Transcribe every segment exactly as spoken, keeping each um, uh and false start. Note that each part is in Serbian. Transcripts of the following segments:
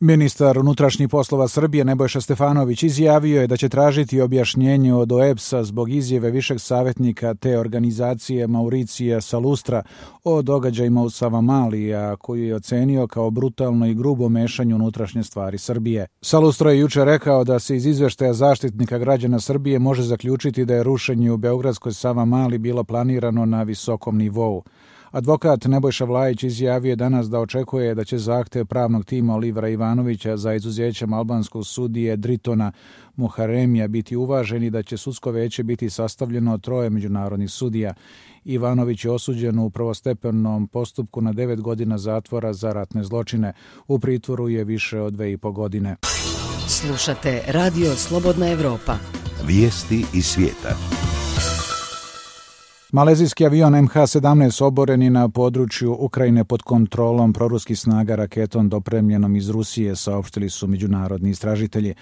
Ministar unutrašnjih poslova Srbije Nebojša Stefanović izjavio je da će tražiti objašnjenje od O E B S-a zbog izjave višeg savjetnika te organizacije Mauricija Salustra o događajima u Savamali, a koju je ocenio kao brutalno i grubo mešanje u unutrašnje stvari Srbije. Salustro je juče rekao da se iz izveštaja Zaštitnika građana Srbije može zaključiti da je rušenje u beogradskoj Savamali bilo planirano na visokom nivou. Advokat Nebojša Vlajić izjavio je danas da očekuje da će zahtev pravnog tima Olivera Ivanovića za izuzećem albanskog sudije Dritona Muharemija biti uvažen i da će sudsko veće biti sastavljeno od troje međunarodnih sudija. Ivanović je osuđen u prvostepenom postupku na devet godina zatvora za ratne zločine. U pritvoru je više od dve i po godine. Slušate Radio Slobodna Evropa. Vijesti iz svijeta. Malezijski avion M H sedamnaest oboreni na području Ukrajine pod kontrolom proruskih snaga raketom dopremljenom iz Rusije, saopštili su međunarodni istražitelji.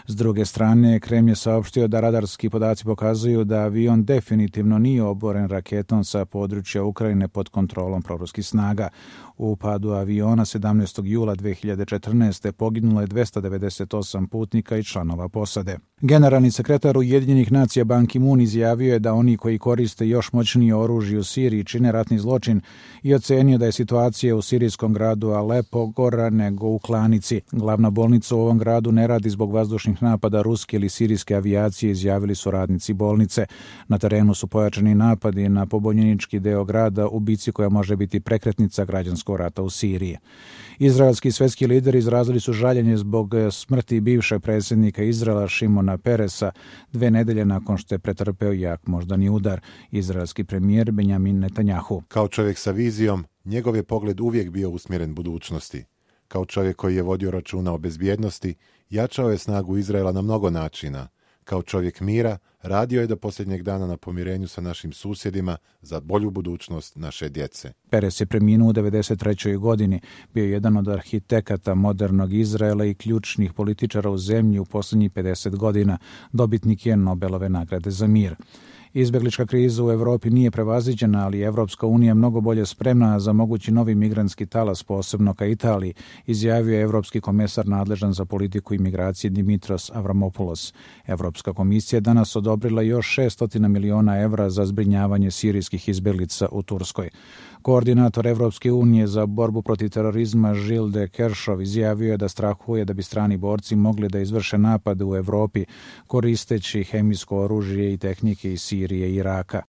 S druge strane, Kremlj je saopštio da radarski podaci pokazuju da avion definitivno nije oboren raketom sa područja Ukrajine pod kontrolom proruskih snaga. U padu aviona sedamnaestog jula dve hiljade četrnaeste. poginulo je dvesta devedeset osam putnika i članova posade. Generalni sekretar Ujedinjenih nacija Ban Ki-moon izjavio je da oni koji koriste još moćnije oružje u Siriji čine ratni zločin i ocenio da je situacija u sirijskom gradu Alepo gora nego u Klanici. Glavna bolnica u ovom gradu ne radi zbog vazdušnih napada ruske ili sirijske avijacije, izjavili su radnici bolnice. Na terenu su pojačani napadi na pobunjenički deo grada u bici koja može biti prekretnica građanskog rata u Siriji. Izraelski svetski lideri izrazili su žaljenje zbog smrti bivšeg predsjednika Izraela Šimona Peresa dve nedelje nakon što je pretrpeo jak moždani udar. Izraelski premijer Benjamin Netanjahu. Kao čovjek sa vizijom, njegov je pogled uvijek bio usmjeren budućnosti. Kao čovjek koji je vodio računa o bezbjednosti, jačao je snagu Izraela na mnogo načina. Kao čovjek mira, radio je do posljednjeg dana na pomirenju sa našim susjedima za bolju budućnost naše djece. Peres je preminuo u devedeset trećoj godini. Bio je jedan od arhitekata modernog Izraela i ključnih političara u zemlji u posljednjih pedeset godina. Dobitnik je Nobelove nagrade za mir. Izbjeglička kriza u Evropi nije prevaziđena, ali Evropska unija je mnogo bolje spremna za mogući novi migrantski talas, posebno ka Italiji, izjavio je evropski komesar nadležan za politiku i migracije Dimitros Avramopoulos. Evropska komisija je danas odobrila još šesto miliona evra za zbrinjavanje sirijskih izbjeglica u Turskoj. Koordinator Evropske unije za borbu protiv terorizma Gilles de Kerchove izjavio je da strahuje da bi strani borci mogli da izvrše napade u Evropi koristeći hemijsko oružje i tehnike iz Sirije i Iraka.